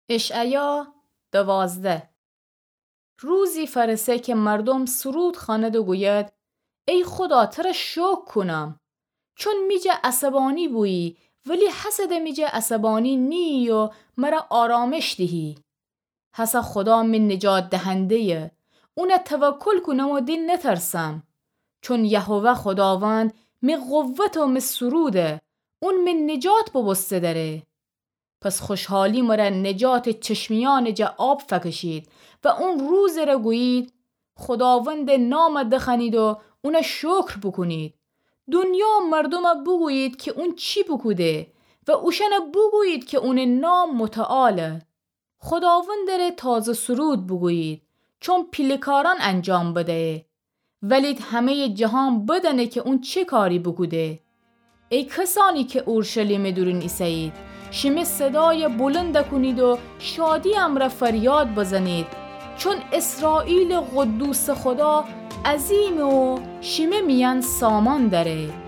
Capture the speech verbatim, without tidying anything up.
اشعیا دوازده. روزی فأرسه کی مردوم سرود خوأند و گوید: ای خودا، تره شوکر کونم، چون می جا عصبأنی بویی، ولی هسه ده می جا عصبأنی نییی و مره آرامش دیهی. هسه خودا می نجات دهنده‌یه، اونه توکل کونم و دی نترسم. چون یهوه خوداوند می قوت و می سروده، اون می نجات بوبوسته دأره. پس خوشحالی مره نجاتٚ چشمیأنٚ جا آب فکشید و اون روزٚ ره گویید، خوداوندٚ نام دخوأنید و اونه شکر بوکونید. دونیا و مردوم بوگویید کی اون چی بوکوده و اوشأن بوگویید کی اونٚ نام متعاله. خوداوندٚ ره تازه سرود بوگویید، چون پیله کارأن انجام بدهه. ولید همه‌یٚ جهان بدأنه کی اون چه کاری بوکوده. ای کسأنی کی اورشلیمٚ دورون ایسه‌یید، شیمه صدای بلند کونید و شادی امرأ فریاد بزنید، چون اسرائیلٚ قدوسٚ خودا عظیمه و شیمه میأن سامان دأره.